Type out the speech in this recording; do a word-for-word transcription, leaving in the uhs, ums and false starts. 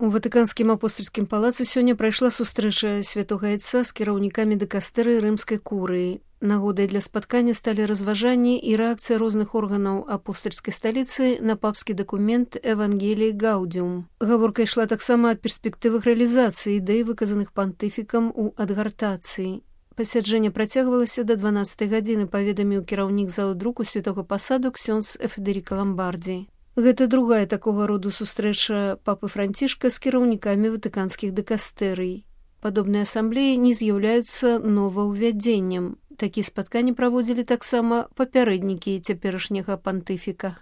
У ватыканскім апостальскім палацы сёння прайшла сустрэча святога айца з кіраўнікамі дэкастэрыі рымскай курыі. Нагодай для спаткання сталі разважанні і рэакцыя розных органаў апостальскай сталіцы на папскі дакумент «Евангеліі Гаудіум». Гаворка ішла таксама аб перспектывах рэалізацыі ідэй, выказаных пантыфікам у адгартацыі. Пасяджэнне працягвалася да дванаццатай гадзіны, паведаміў кіраўнік залы друку святога пасаду ксёндз Федэріка Ламбардзі. Гэта другая такога роду сустрэча папы Францішка з кіраўнікамі ватыканскіх дэкастэрый. Падобныя асамблеі не з'яўляюцца новаўвядзеннем. Такія спатканні праводзілі таксама папярэднікі цяперашняга пантыфіка.